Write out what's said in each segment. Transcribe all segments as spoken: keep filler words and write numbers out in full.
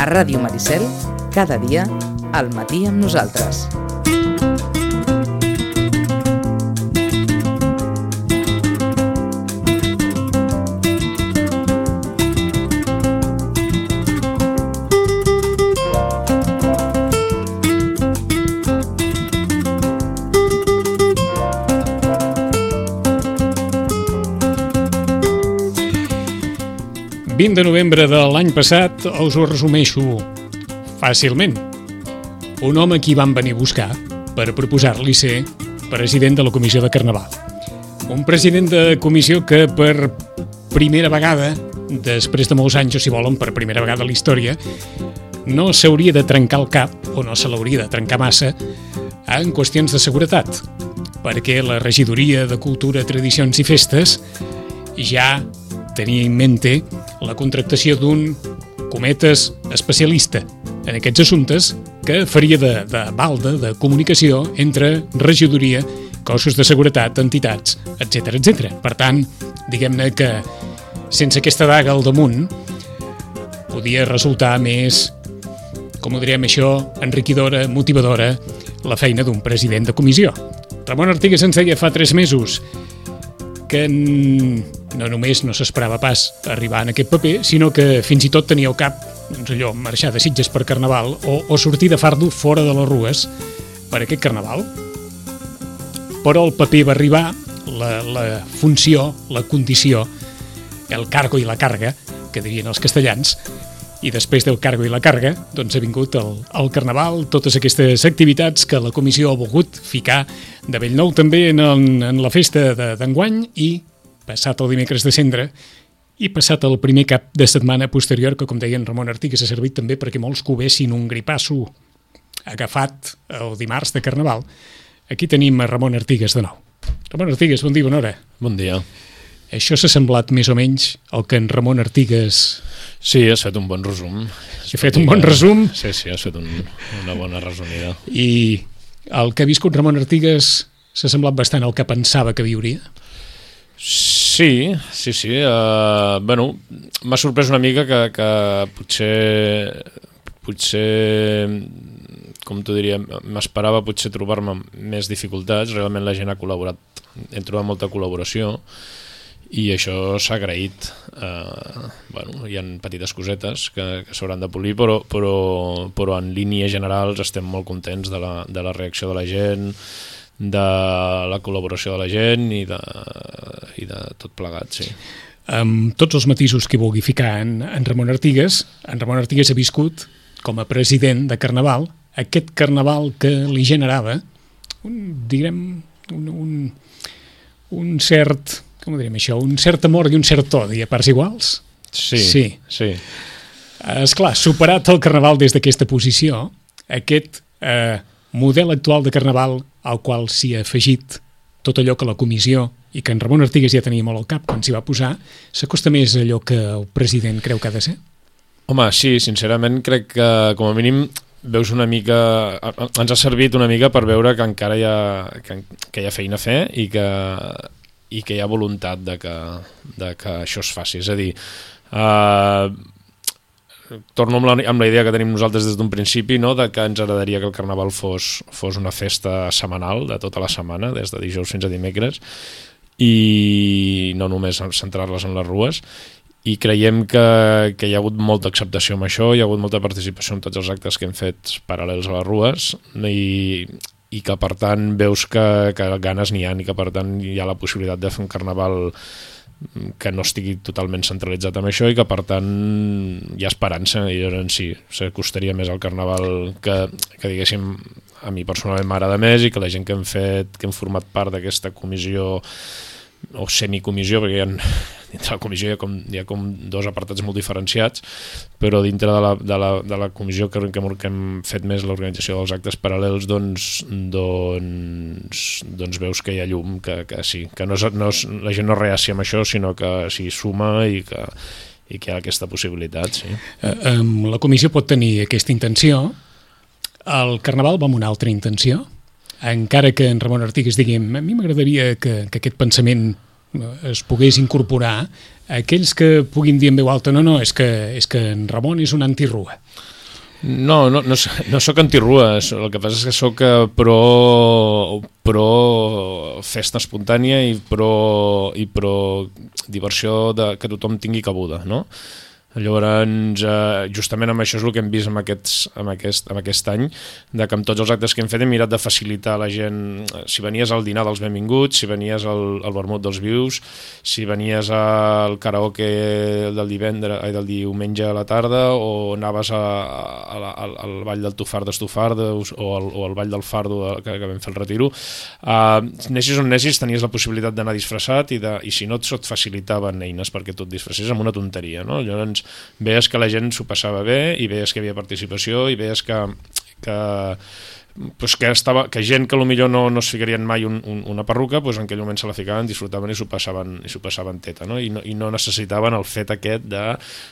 A Ràdio Maricel, cada dia, al matí amb nosaltres. vint de novembre de l'any passat us ho resumeixo fàcilment. Un home qui van venir a buscar per proposar-li ser president de la Comissió de Carnaval. Un president de comissió que per primera vegada, després de molts anys, o si volen, per primera vegada a la història, no s'hauria de trencar el cap, o no se l'hauria de trencar massa, en qüestions de seguretat, perquè la Regidoria de Cultura, Tradicions i Festes ja tenia en mente la contractació d'un, cometes, especialista en aquests assumptes que faria de, de balda, de comunicació entre regidoria, cossos de seguretat, entitats, etcètera, etcètera. Per tant, diguem-ne que sense aquesta daga al damunt podia resultar més, com ho direm això, enriquidora, motivadora, la feina d'un president de comissió. Ramon Artigas ens deia fa tres mesos que no només no s'esperava pas arribar en aquest paper, sinó que fins i tot tenia al cap, doncs allò, marxar de Sitges per Carnaval o, o sortir de fardo fora de les rues per aquest Carnaval. Però el paper va arribar, la, la funció, la condició, el cargo i la carga, que dirien els castellans, i després del cargo i la carga, doncs ha vingut el, el Carnaval, totes aquestes activitats que la comissió ha volgut ficar de Bellnou també en, el, en la festa d'enguany i passat el dimecres de Cendra i passat el primer cap de setmana posterior, que com deia en Ramon Artigas ha servit també perquè molts covessin un gripasso agafat el dimarts de Carnaval. Aquí tenim a Ramon Artigas de nou. Ramon Artigas, bon dia, bona hora. Bon dia. Això s'ha semblat més o menys el que en Ramon Artigas... Sí, has fet un bon resum. He fet un bon resum. Sí, sí, has fet un, una bona resumida. I el que ha viscut Ramon Artigas s'ha semblat bastant al que pensava que viuria? Sí, sí, sí. Uh, bueno, m'ha sorprès una mica que, que potser, potser, com t'ho diria, m'esperava potser trobar-me més dificultats. Realment la gent ha col·laborat, hem trobat molta col·laboració i això s'ha agraït. Uh, bueno, hi ha petites cosetes que, que s'hauran de polir, però, però, però en línies generals estem molt contents de la, de la reacció de la gent, de la col·laboració de la gent i de, i de tot plegat, sí. Amb tots els matisos que vulgui ficar en, en Ramon Artigas, en Ramon Artigas ha viscut com a president de Carnaval aquest Carnaval que li generava un, diguem, un, un, un cert, com ho direm això, un cert amor i un cert odi a parts iguals? Sí, sí. sí. Esclar, superat el Carnaval des d'aquesta posició, aquest eh, model actual de Carnaval al qual s'hi ha afegit tot allò que la comissió i que en Ramon Artigas ja tenia molt al cap quan s'hi va posar, s'acosta més a allò que el president creu que ha de ser? Home, sí, sincerament crec que com a mínim veus una mica, ens ha servit una mica per veure que encara hi ha, que, que hi ha feina a fer i que, i que hi ha voluntat de que, de que això es faci. És a dir, eh, torno amb la, amb la idea que tenim nosaltres des d'un principi, no? De que ens agradaria que el Carnaval fos, fos una festa setmanal de tota la setmana, des de dijous fins a dimecres, i no només centrar-les en les rues, i creiem que, que hi ha hagut molta acceptació amb això, hi ha hagut molta participació en tots els actes que hem fet paral·lels a les rues, i, i que per tant veus que, que ganes n'hi ha i que per tant hi ha la possibilitat de fer un Carnaval que no estigui totalment centralitzat amb això i que per tant hi ha esperança i llavors sí, s'acostaria més al Carnaval que, que diguéssim a mi personalment m'agrada més i que la gent que hem fet, que hem format part d'aquesta comissió o semicomissió, perquè hi ha, dintre la comissió hi ha, com, hi ha com dos apartats molt diferenciats, però dintre de la, de la, de la comissió que, que, que hem fet més l'organització dels actes paral·lels, doncs, doncs, doncs veus que hi ha llum, que, que sí, que no és, no és, la gent no reacia amb això, sinó que s'hi suma i que, i que hi ha aquesta possibilitat, sí. Eh, la comissió pot tenir aquesta intenció, el Carnaval va amb una altra intenció, encara que en Ramon Artigas digui a mi m'agradaria que, que aquest pensament es pogués incorporar a aquells que puguin dir en veu alta no, no, és que, és que en Ramon és un antirrua. No, no, no, no sóc antirrua, el que passa és que sóc pro, pro festa espontània i pro, i pro diversió de, que tothom tingui cabuda, no? Llavors, eh, justament amb això és el que hem vist amb, aquests, amb, aquest, amb aquest any, de que amb tots els actes que hem fet hem mirat de facilitar a la gent, si venies al dinar dels benvinguts, si venies al, al vermut dels vius, si venies al karaoke del divendres, ai, del diumenge a la tarda, o anaves a, a, a, al, al ball del Tufar d'Estofardos o, al, o al ball del Fardo de, que, que vam fer el retiro, eh, nessis on nessis tenies la possibilitat d'anar disfressat i, de, i si no et facilitaven eines perquè tu et disfressés amb una tonteria, no? Llavors veies que la gent s'ho passava bé i veies que hi havia participació i veies que, que, pues que, estava, que gent que potser no, no es ficarien mai un, un, una perruca, pues en aquell moment se la ficaven, disfrutaven i s'ho passaven, i s'ho passaven teta, no? I, no, i no necessitaven el fet aquest de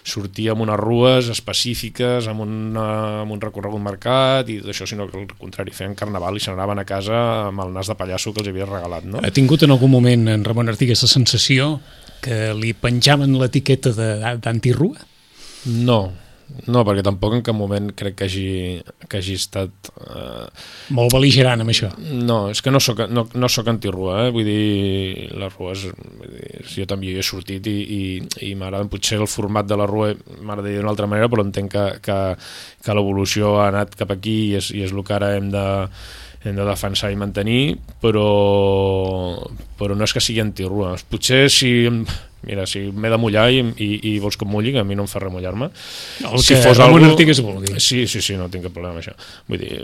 sortir amb unes rues específiques, amb, una, amb un recorregut marcat i tot això, sinó que al contrari, feien carnaval i se n'anaven a casa amb el nas de pallasso que els havia regalat, no? Ha tingut en algun moment en Ramon Artigas la sensació que li penjaven l'etiqueta d'antirrua? No, no, perquè tampoc en cap moment crec que hagi, que hagi estat... Eh... Molt bel·ligerant amb això. No, és que no soc, no, no soc antirrua, eh? Vull dir, les rues, vull dir, jo també hi he sortit i, i, i m'agrada, potser el format de la rua m'agradaria d'una altra manera, però entenc que, que, que l'evolució ha anat cap aquí i és, i és el que ara hem de, hem de defensar i mantenir, però, però no és que sigui antirrua. Potser si... Mira, si m'he de mullar i, i, i vols que em mulli, que a mi no em fa res mullar-me. El si que fos Ramon algú... Artigas vulgui. Sí, sí, sí, no tinc cap problema amb això. Vull dir,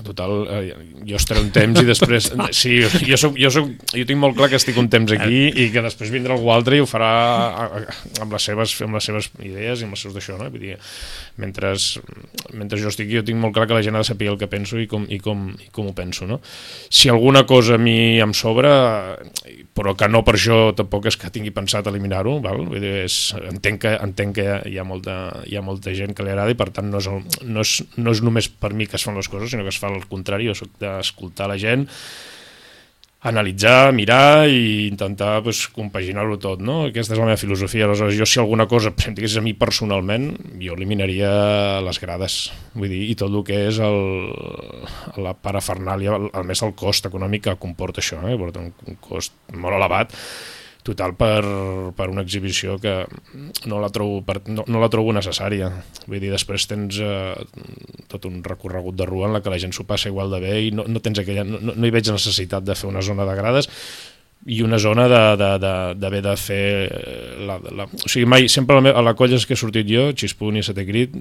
total, eh, jo estaré un temps i després... Sí, jo, soc, jo, soc, jo tinc molt clar que estic un temps aquí i que després vindrà algú altre i ho farà amb les seves, amb les seves idees i amb els seus d'això, no? Vull dir, mentre, mentre jo estic, jo tinc molt clar que la gent ha de saber el que penso i com, i com, i com ho penso, no? Si alguna cosa a mi em sobra, però que no per això tampoc és que tingui pensat eliminar-ho, val? Vull dir, és, entenc que, entenc que hi, ha, hi, ha molta, hi ha molta gent que li agrada i per tant no és, el, no, és, no és només per mi que es fan les coses, sinó que es fa al contrari. Jo soc d'escoltar la gent, analitzar, mirar i intentar pues, compaginar-ho tot, no? Aquesta és la meva filosofia. Aleshores, jo si alguna cosa em digués a mi personalment, jo eliminaria les grades, vull dir, i tot el que és el, la parafernàlia, a més el cost econòmic que comporta això, eh? Porta un, un cost molt elevat, total per, per una exhibició que no la trobo, per, no, no la trobo necessària. Vull dir, després tens eh, tot un recorregut de rua en la que la gent s'ho passa igual de bé i no, no, tens aquella, no, no hi veig necessitat de fer una zona de grades i una zona d'haver de, de, de, de fer la, la, o sigui, mai, sempre a la, a la colla que he sortit jo, Xispun i Setè Crit,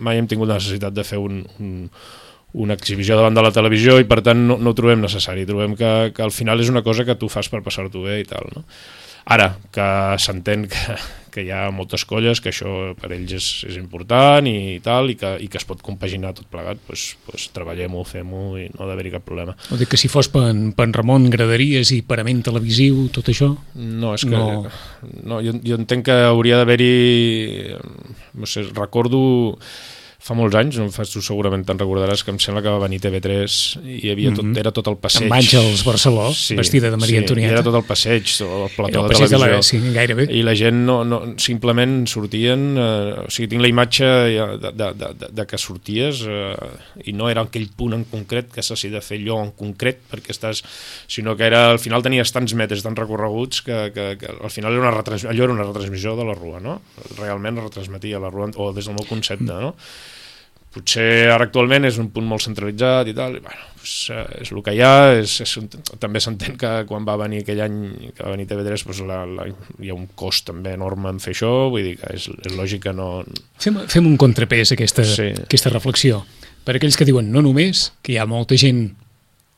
mai hem tingut la necessitat de fer un, un, una exhibició davant de la televisió i per tant no, no ho trobem necessari, trobem que, que al final és una cosa que tu fas per passar-t'ho bé i tal, no? Ara, que s'entén que, que hi ha moltes colles, que això per ells és, és important i tal, i que, i que es pot compaginar tot plegat, doncs, doncs treballem-ho, fem-ho i no ha d'haver-hi cap problema. O dir que si fos per, per Ramon graderies i parament televisiu, tot això? No, és que... No. No, jo, jo entenc que hauria d'haver-hi... No sé, recordo... Fa molts anys, no fas tu segurament te'n recordaràs, que em sembla que va venir T V tres i hi havia tot, mm-hmm. era tot el passeig. Amb Àngels Barceló, sí, vestida de Maria sí, Antonieta. Era tot el passeig, el plató el de televisió. De la, sí, gairebé. I la gent no, no, simplement sortien, eh, o sigui, tinc la imatge de, de, de, de, de que sorties eh, i no era aquell punt en concret que s'hagi de fer allò en concret, perquè estàs, sinó que era, al final tenies tants metres, tants recorreguts, que, que, que al final era una retransmissió, allò era una retransmissió de la rua, no? Realment retransmetia la rua, o des del meu concepte, no? Potser ara actualment és un punt molt centralitzat i tal, i bueno, doncs, és el que hi ha, és, és un, també s'entén que quan va venir aquell any que va venir T V tres doncs la, la, hi ha un cost també enorme en fer això, vull dir que és, és lògic que no... Fem, fem un contrapès a aquesta, sí. aquesta reflexió, per aquells que diuen no només que hi ha molta gent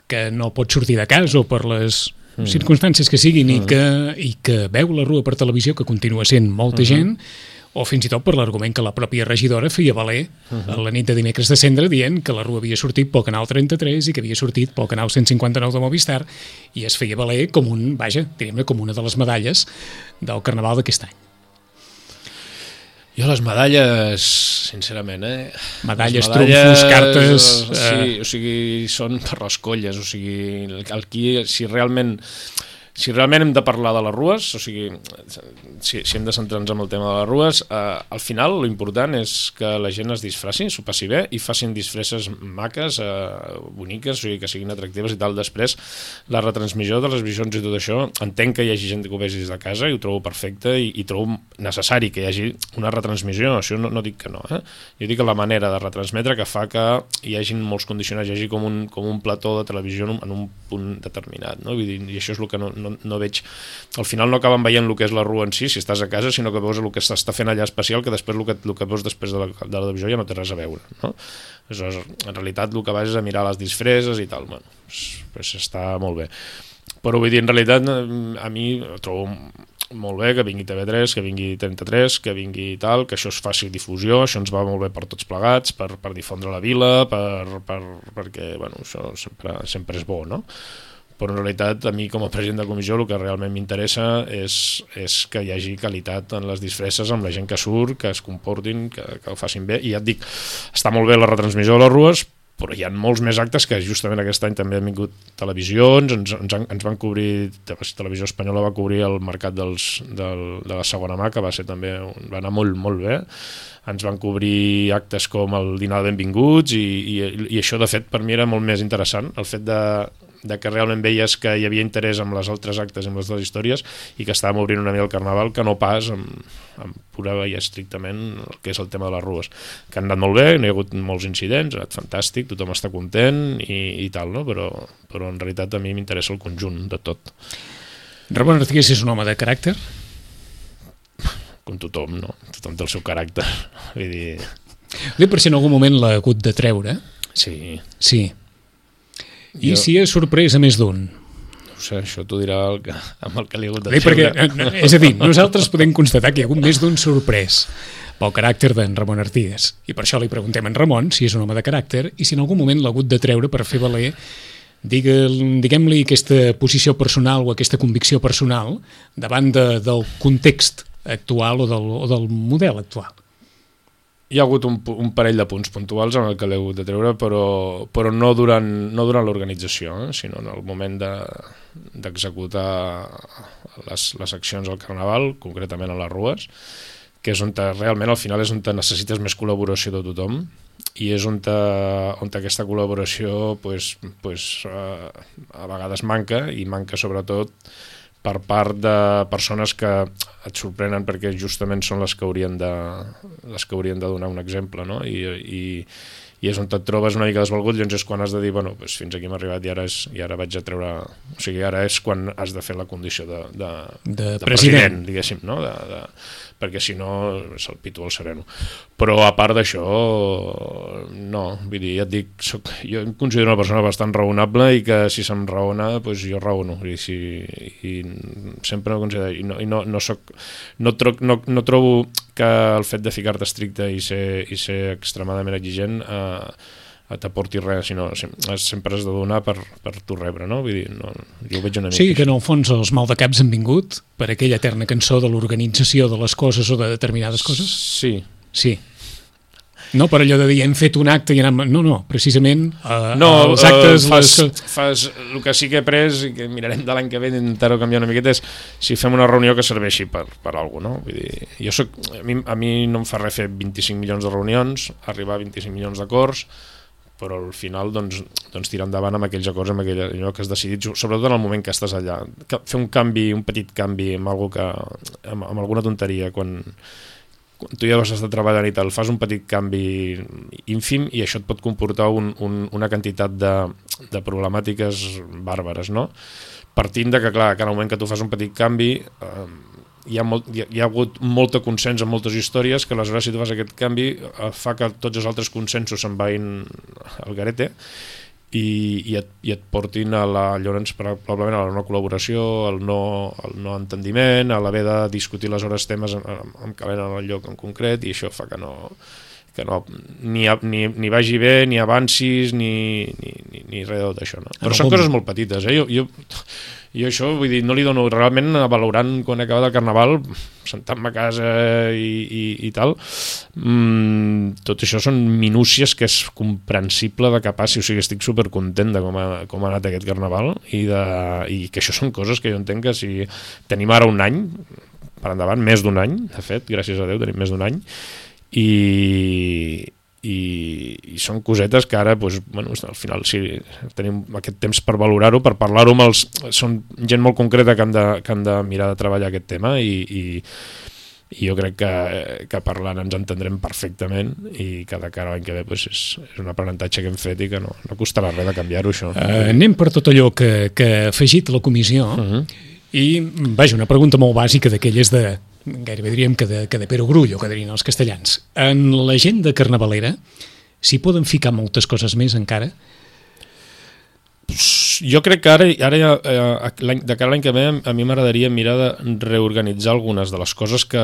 que no pot sortir de casa o per les mm. circumstàncies que siguin mm. i, que, i que veu la rua per televisió, que continua sent molta mm-hmm. gent, o fins i tot per l'argument que la pròpia regidora feia valer uh-huh. a la nit de dimecres de cendre dient que la rua havia sortit pel canal trenta-tres i que havia sortit pel canal cent cinquanta-nou de Movistar i es feia valer com un, vaja, diríem-ne, com una de les medalles del Carnaval d'aquest any. Jo les medalles, sincerament, eh? Medalles, trumfos, cartes... Sí, o sigui, són per les colles, o sigui, el qui, si realment... si realment hem de parlar de les rues, o sigui, si, si hem de centrar-nos en el tema de les rues, eh, al final l'important és que la gent es disfraci, s'ho passi bé i facin disfresses maques, eh, boniques, o sigui, que siguin atractives i tal. Després, la retransmissió de les visions i tot això, entenc que hi hagi gent que ho vegi des de casa i ho trobo perfecte i, i trobo necessari que hi hagi una retransmissió, això no, no dic que no, eh? Jo dic que la manera de retransmetre que fa que hi hagi molts condicionats, hi hagi com un, com un plató de televisió en un, en un punt determinat, no? Vull dir, i això és el que no, no, no veig, al final no acaben veient el que és la rua en si, si estàs a casa, sinó que veus el que s'està fent allà especial, que després el que, el que veus després de la, de la televisió ja no té res a veure, no? Aleshores, en realitat el que vas és a mirar les disfresses i tal, bueno, pues, pues està molt bé. Però vull dir, en realitat a mi trobo molt bé que vingui T V tres, que vingui trenta-tres, que vingui tal, que això es faci difusió, això ens va molt bé per tots plegats, per, per difondre la vila, per, per, perquè bueno, això sempre, sempre és bo, no? Però en realitat a mi com a president de comissió el que realment m'interessa és, és que hi hagi qualitat en les disfresses amb la gent que surt, que es comportin, que, que ho facin bé, i ja et dic, està molt bé la retransmissió de les rues, però hi ha molts més actes que justament aquest any també han vingut televisions, ens, ens, ens van cobrir, Televisió Espanyola va cobrir el mercat dels, del, de la segona mà, que va ser també, va anar molt, molt bé, ens van cobrir actes com el dinar de benvinguts i, i, i això de fet per mi era molt més interessant, el fet de, de que realment veies que hi havia interès en les altres actes, en les dues històries, i que estàvem obrint una mica el carnaval, que no pas amb, amb pura i estrictament el que és el tema de les rues, que han anat molt bé, no hi ha hagut molts incidents, ha anat fantàstic, tothom està content i, i tal, no? però, però en realitat a mi m'interessa el conjunt de tot. Ramon Artigués és un home de caràcter? Com tothom, no? Tothom té el seu caràcter. Vull dir... Dic per si en algun moment l'ha hagut de treure. Sí. Sí. I jo... si és sorpresa més d'un? No sé, això t'ho dirà el que, amb el que li ha hagut de Dic treure. perquè, és a dir, nosaltres podem constatar que hi ha hagut més d'un sorprès pel caràcter d'en Ramon Artigués. I per això li preguntem a en Ramon si és un home de caràcter i si en algun moment l'ha hagut de treure per fer valer, diguem-li, aquesta posició personal o aquesta convicció personal davant de, del context actual o del, o del model actual. Hi ha hagut un, un parell de punts puntuals en el que l'he hagut de treure, però, però no durant, no durant l'organització, eh? Sinó en el moment de, d'executar les, les accions al Carnaval, concretament a les rues, que és on te, realment al final és on te necessites més col·laboració de tothom, i és on, te, on te aquesta col·laboració pues, pues, uh, a vegades manca, i manca sobretot per part de persones que et sorprenen perquè justament són les que haurien de, les que haurien de donar un exemple, no? I, i, i és on et trobes una mica desvalgut, llavors és quan has de dir, bueno, doncs fins aquí hem arribat i ara, és, i ara vaig a treure... O sigui, ara és quan has de fer la condició de, de, de, de president, president, diguéssim, no? De, de, perquè si no és el pito al sereno. Però a part d'això, no, vull dir, ja et dic, soc, jo em considero una persona bastant raonable i que si se'm raona, doncs jo raono. I, si, i sempre no considero... I no, i no, no, soc, no, tro, no, no trobo que el fet de ficar-te estricte i ser, i ser extremadament exigent eh, t'aporti res, sinó sempre has de donar per, per tu rebre, no? Vull dir, no, jo ho veig una mica. Sí, que en el fons els maldecaps han vingut per aquella eterna cançó de l'organització de les coses o de determinades coses? Sí. Sí. No per allò de dir hem fet un acte i anem... No, no, precisament uh, no, els actes... Uh, fas, les... fas el que sí que he pres i que mirarem de l'any que ve d'intentar-ho canviar una miqueta és si fem una reunió que serveixi per, per alguna cosa, no? Vull dir, jo soc, a, mi, a mi no em fa res fer vint-i-cinc milions de reunions, arribar a vint-i-cinc milions d'acords, però al final doncs, doncs tirar endavant amb aquells acords, amb aquell, allò que has decidit, sobretot en el moment que estàs allà. Fer un canvi, un petit canvi amb, algo que, amb, amb alguna tonteria, quan, quan tu ja vas estar treballant i tal, fas un petit canvi ínfim i això et pot comportar un, un, una quantitat de, de problemàtiques bàrbares, no? Partint de que, clar, que en el moment que tu fas un petit canvi... Eh, Hi ha, molt, hi, ha, hi ha hagut molta consens en moltes històries que aleshores si tu fas aquest canvi eh, fa que tots els altres consensos se'n vagin al garete i, i, et, i et portin a la, llavors probablement a la no col·laboració, al no, al no entendiment, a l'haver de discutir les hores temes amb, amb calent en el lloc en concret i això fa que no, que no, ni, ni, ni vagi bé, ni avancis, ni, ni, ni, ni res de tot això, no? Però són coses molt petites, eh? Jo, jo, jo això, vull dir, no li dono realment valorant quan acaba el Carnaval, sentant-me a casa i, i, i tal, mm, tot això són minúcies que és comprensible de que passi, o sigui, estic supercontent de com ha, com ha anat aquest Carnaval i, de, i que això són coses que jo entenc que si tenim ara un any, per endavant, més d'un any, de fet, gràcies a Déu tenim més d'un any, i, i, i són cosetes que ara doncs, bueno, al final sí, tenim aquest temps per valorar-ho, per parlar-ho amb els... Són gent molt concreta que han de, que han de mirar de treballar aquest tema i, i, i jo crec que, que parlant ens entendrem perfectament i que de cara a l'any que ve doncs, és, és un aprenentatge que hem fet i que no, no costarà res de canviar-ho, això. Uh, anem per tot allò que, que ha afegit la comissió uh-huh. i, vaja, una pregunta molt bàsica d'aquelles de... gairebé diríem que de, que de perogrullo, que dirien els castellans. En l'agenda carnavalera s'hi poden ficar moltes coses més encara? Jo crec que ara, ara ja, eh, de cara a l'any que ve, a mi m'agradaria mirar de reorganitzar algunes de les coses que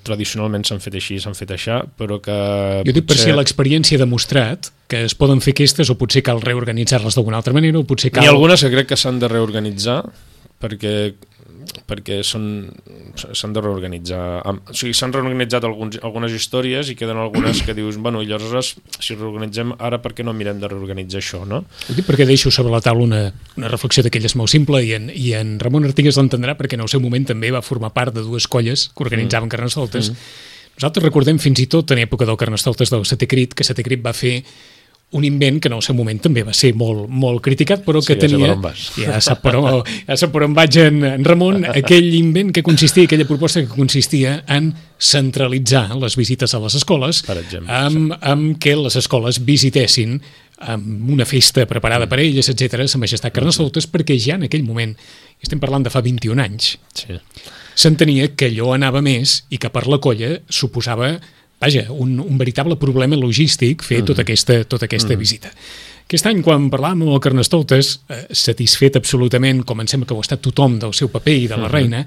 tradicionalment s'han fet així, s'han fet així, però que... Jo dic potser... per si l'experiència ha demostrat que es poden fer aquestes o potser cal reorganitzar-les d'alguna altra manera o potser cal... N'hi ha algunes que crec que s'han de reorganitzar perquè perquè s'han de reorganitzar. O sigui, s'han reorganitzat alguns, algunes històries i queden algunes que dius, bueno, i llavors si reorganitzem ara, per què no mirem de reorganitzar això, no? Ho dic perquè deixo sobre la taula una, una reflexió d'aquelles molt simple i en, i en Ramon Artigas l'entendrà perquè en el seu moment també va formar part de dues colles que organitzaven mm. Carnestoltes. Mm. Nosaltres recordem fins i tot en època del Carnestoltes del Setè Crit que Setè Crit va fer un invent que en el seu moment també va ser molt, molt criticat, però que sí, tenia... Ja sap per on, ja sap per on vaig en, en Ramon, aquell invent que consistia, aquella proposta que consistia en centralitzar les visites a les escoles, per exemple, amb, sí. amb que les escoles visitessin amb una festa preparada mm. per elles, etcètera, Sa Majestat Carnestoltes, mm. perquè ja en aquell moment, estem parlant de fa vint-i-un anys, sí. s'entenia que allò anava més i que per la colla suposava... Vaja, un, un veritable problema logístic fer mm. tota aquesta, tota aquesta mm. visita. Aquest any, quan parlàvem amb el Carnestoltes, eh, satisfet absolutament, com em sembla que ho ha estat tothom del seu paper i de la mm. reina,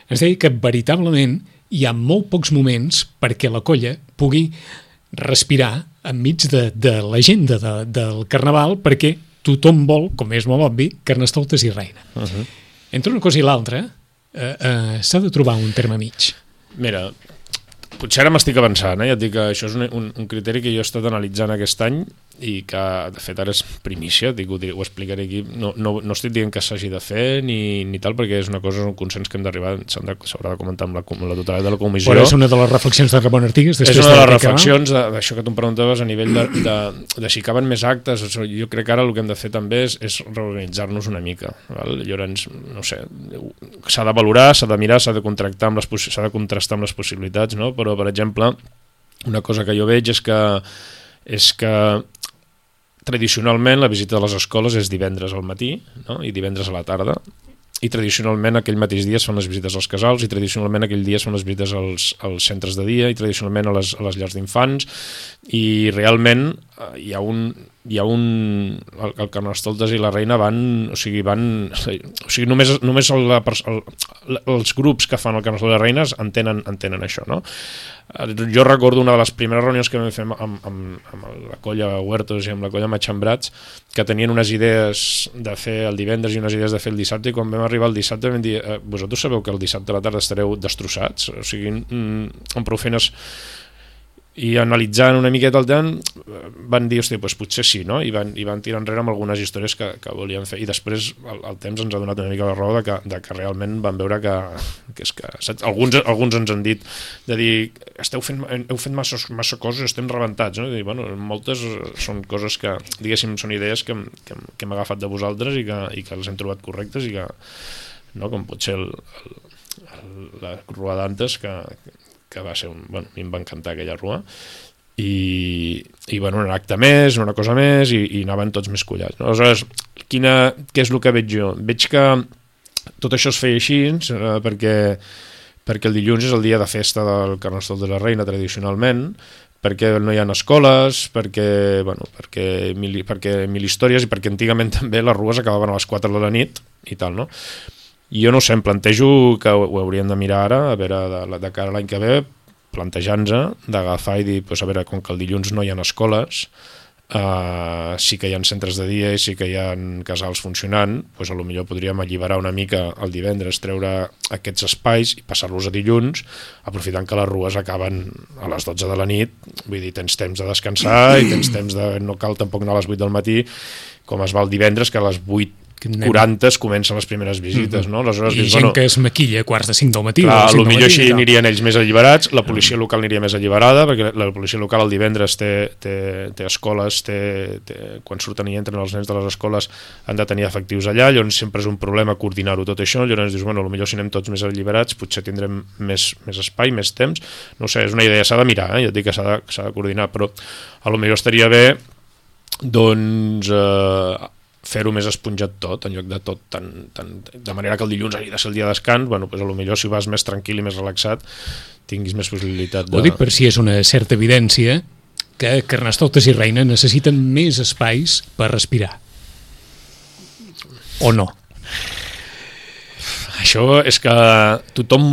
ens deia que veritablement hi ha molt pocs moments perquè la colla pugui respirar enmig de, de l'agenda de, del Carnaval, perquè tothom vol, com és molt obvi, Carnestoltes i reina. Mm -hmm. Entre una cosa i l'altra, eh, eh, s'ha de trobar un terme mig. Mira... Potser ara m'estic avançant, eh? Ja et dic que això és un, un, un criteri que jo he estat analitzant aquest any i que, de fet, ara és primícia, dic, ho, ho explicaré aquí. No, no, no estic dient que s'hagi de fer ni, ni tal, perquè és una cosa, un consens que hem d'arribar, s'haurà de comentar amb la, amb la totalitat de la comissió. Però és una de les reflexions de Ramon Artigas? És una de les reflexions d'això que tu em preguntaves a nivell de, de, de si caben més actes. Jo crec que ara el que hem de fer també és, és reorganitzar-nos una mica. Val? Llavors, no sé, s'ha de valorar, s'ha de mirar, s'ha de contractar amb les, s'ha de contrastar amb les possibilitats, no? Però, per exemple, una cosa que jo veig és que, és que tradicionalment la visita a les escoles és divendres al matí, no? I divendres a la tarda, i tradicionalment aquell mateix dia es fan les visites als casals i tradicionalment aquell dia es fan les visites als, als centres de dia i tradicionalment a les, a les llars d'infants i realment hi ha un... hi ha un... El, el Carnestoltes i la reina van... O sigui, van... O sigui, només, només el, el, els grups que fan el Carnestoltes i la reina entenen, entenen això, no? Jo recordo una de les primeres reunions que vam fer amb, amb, amb la colla Huertos i amb la colla Matxembrats que tenien unes idees de fer el divendres i unes idees de fer el dissabte i quan vam arribar el dissabte vam dir, eh, vosaltres sabeu que el dissabte a la tarda estareu destrossats? O sigui, mm, amb prou feines... I analitzant una miqueta el temps van dir, hòstia, doncs potser sí, no? I van, i van tirar enrere amb algunes històries que, que volien fer i després el, el temps ens ha donat una mica la raó de que, de que realment van veure que, que, és que saps? Alguns, alguns ens han dit de dir, esteu fent, heu fet massa, massa coses, estem rebentats, no? I dir, bueno, moltes són coses que, diguéssim, són idees que, que, que hem agafat de vosaltres i que, i que les hem trobat correctes i que, no? Com pot ser el, el, la rua d'antes que que va ser un... Bueno, a mi em va encantar aquella rua i, i bueno, un acte més, una cosa més i, i anaven tots més collats, no? Aleshores, quina, què és el que veig jo? Veig que tot això es feia així eh, perquè, perquè el dilluns és el dia de festa del Carnestoltes de la Reina tradicionalment, perquè no hi ha escoles, perquè, bueno, perquè, mil, perquè mil històries i perquè antigament també les rues acabaven a les quatre de la nit i tal, no? Jo no sé, em plantejo que ho hauríem de mirar ara, a veure, de, de cara a l'any que ve, plantejant-se d'agafar i dir, pues, a veure, com que el dilluns no hi ha escoles, Uh, sí que hi ha centres de dia i sí que hi ha casals funcionant, doncs a lo millor podríem alliberar una mica el divendres, treure aquests espais i passar-los a dilluns, aprofitant que les rues acaben a les dotze de la nit, vull dir, tens temps de descansar i tens temps de... no cal tampoc anar a les vuit del matí, com es va el divendres, que a les vuit quaranta es comencen les primeres visites, no? Aleshores, I dius, gent bueno, que es maquilla a quarts de cinc del matí. clar, potser així anirien ells més alliberats, la policia local aniria més alliberada, perquè la policia local el divendres té, té, té escoles, té, té, quan surten i entren els nens de les escoles han de tenir efectius allà, llavors sempre és un problema coordinar-ho tot això, llavors dius, bueno, potser si anem tots més alliberats potser tindrem més, més espai, més temps, no ho sé, és una idea, s'ha de mirar, eh? Jo et dic que s'ha de, s'ha de coordinar, però a lo millor estaria bé doncs eh, fer-ho més esponjat tot, en lloc de tot tan, tan, de manera que el dilluns hagi de ser el dia de descans, bueno, pues a lo millor si vas més tranquil i més relaxat tinguis més possibilitat de... Ho dic per si és una certa evidència que Carnestoltes i Reina necessiten més espais per respirar. O no? Això és que tothom,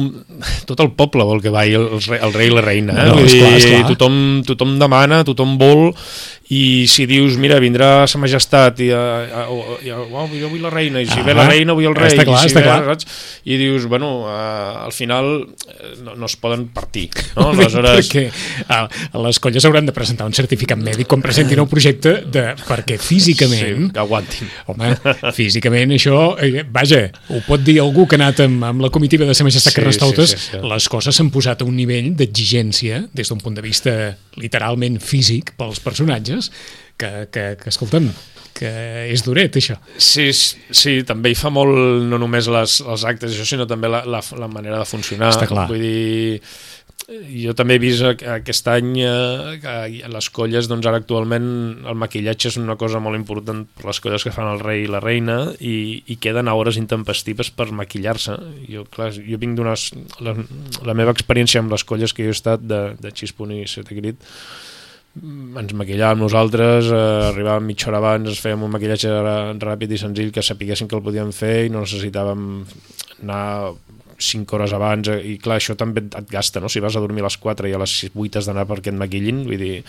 tot el poble vol que vagi el, el rei i la reina, eh? No, Vull esclar, dir, esclar. tothom, tothom demana, tothom vol, i si dius, mira, vindrà sa majestat i, uh, uh, uh, oh, jo vull la reina, i si ah, ve la reina vull el rei, està clar, i si està ve, clar. saps? I dius, bueno, uh, al final no, no es poden partir, no? Aleshores... perquè uh, les colles hauran de presentar un certificat mèdic quan presentin el projecte de, perquè físicament... Sí, que aguantin. Home, físicament això, eh, vaja, ho pot dir algú que ha anat amb, amb la comitiva de Sa Majestat Sí, Carnestoltes, sí, sí, sí. les coses s'han posat a un nivell d'exigència des d'un punt de vista literalment físic pels personatges que, que, que escolta'm, que és duret això. Sí, sí, també hi fa molt no només les, els actes, això, sinó també la, la, la manera de funcionar. Està clar. Vull dir, jo també he vist aquest any eh, que les colles, doncs ara actualment el maquillatge és una cosa molt important per les colles que fan el rei i la reina i, i queden a hores intempestives per maquillar-se. Jo, clar, jo vinc d'unes... La, la meva experiència amb les colles que jo he estat de, de Xispun i Sete Crit, ens maquillàvem nosaltres, eh, arribàvem mitja hora abans, ens fèiem un maquillatge ràpid i senzill que sapiguéssim que el podíem fer i no necessitàvem anar cinc hores abans, i clar, això també et gasta, no? Si vas a dormir a les quatre i a les vuit has d'anar perquè et maquillin, vull dir,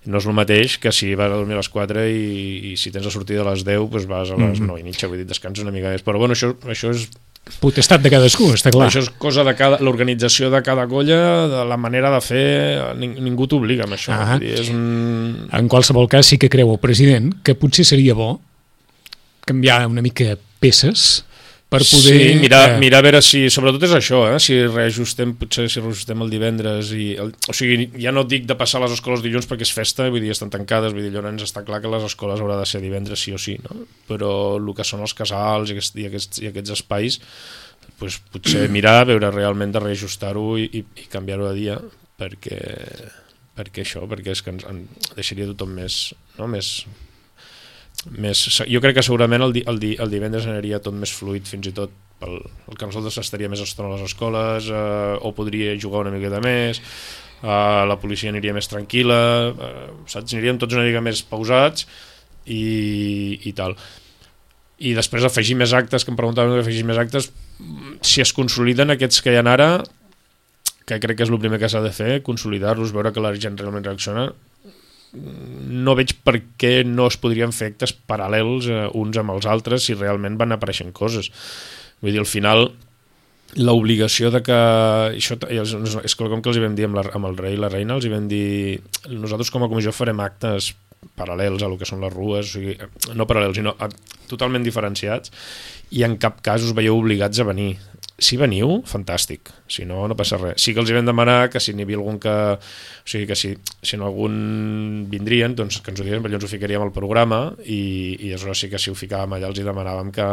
no és el mateix que si vas a dormir a les quatre i, i si tens la sortida a les deu, doncs vas a les Mm-hmm. nou i mitja, vull dir, descanses una mica més, però bueno, això, això és Potestat de cadascú, està clar. això és cosa de cada, l'organització de cada colla, de la manera de fer, ning, ningú t'obliga amb això. Ah. Vull dir, és un... En qualsevol cas sí que creu el president que potser seria bo canviar una mica peces per poder... Sí, mirar, eh, mirar a veure si... Sobretot és això, eh? Si reajustem, potser si reajustem el divendres i... El, o sigui, ja no dic de passar les escoles dilluns perquè és festa, vull dir, estan tancades, vull dir, llavors està clar que les escoles haurà de ser divendres sí o sí, no? Però el que són els casals i aquests, i aquests, i aquests espais, doncs potser mirar, veure realment de reajustar-ho i, i, i canviar-ho de dia, perquè, perquè això, perquè és que ens, en deixaria tothom més... No? més Més, jo crec que segurament el, di, el, di, el divendres aniria tot més fluid, fins i tot pel, el que nosaltres estaria més estona a les escoles, eh, o podria jugar una miqueta més, eh, la policia aniria més tranquil·la, eh, saps? Aniríem tots una mica més pausats i, i tal. I després afegir més actes, que em preguntaven afegir més actes, si es consoliden aquests que hi ha ara, que crec que és el primer que s'ha de fer, consolidar-los, veure que la gent realment reacciona. No veig per què no es podrien fer actes paral·lels eh, uns amb els altres si realment van apareixent coses. Vull dir, al final l'obligació de que això és quelcom que els hi vam dir amb, la, amb el rei i la reina, els hi vam dir nosaltres com a comissió farem actes paral·lels a lo que són les rues, o sigui, no paral·lels, sinó a, totalment diferenciats, i en cap cas us veieu obligats a venir. Si veniu, fantàstic, si no, no passa res. Sí que els hi vam demanar que si n'hi havia algun que... O sigui, que si, si en algun vindrien, doncs que ens ho diguessin, llavors ho ficaríem al programa i, i aleshores sí que si ho ficàvem allà els hi demanàvem que,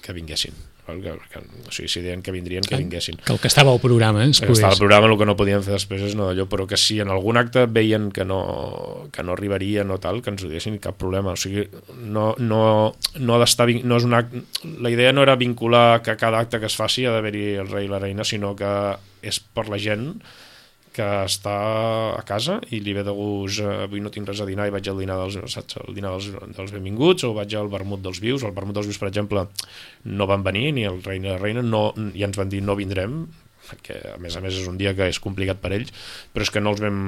que vinguessin. Que, que, o sigui, si deien que vindrien, que vinguessin. Que el que estava al programa es que pogués... estava al programa, el que no podien fer després és no d'allò, però que si en algun acte veien que no, que no arribarien o tal, que ens ho diguessin, cap problema. O sigui, no, no, no ha d'estar... No és un acte, la idea no era vincular que cada acte que es faci ha d'haver-hi el rei i la reina, sinó que és per la gent que està a casa i li ve de gust, eh, avui no tinc res a dinar i vaig al dinar dels, saps, al dinar dels, dels benvinguts, o vaig al vermut dels vius. Al vermut dels vius, per exemple, no van venir, ni el rei ni la reina, no, i ens van dir no vindrem, perquè a més a més és un dia que és complicat per ells, però és que no els vam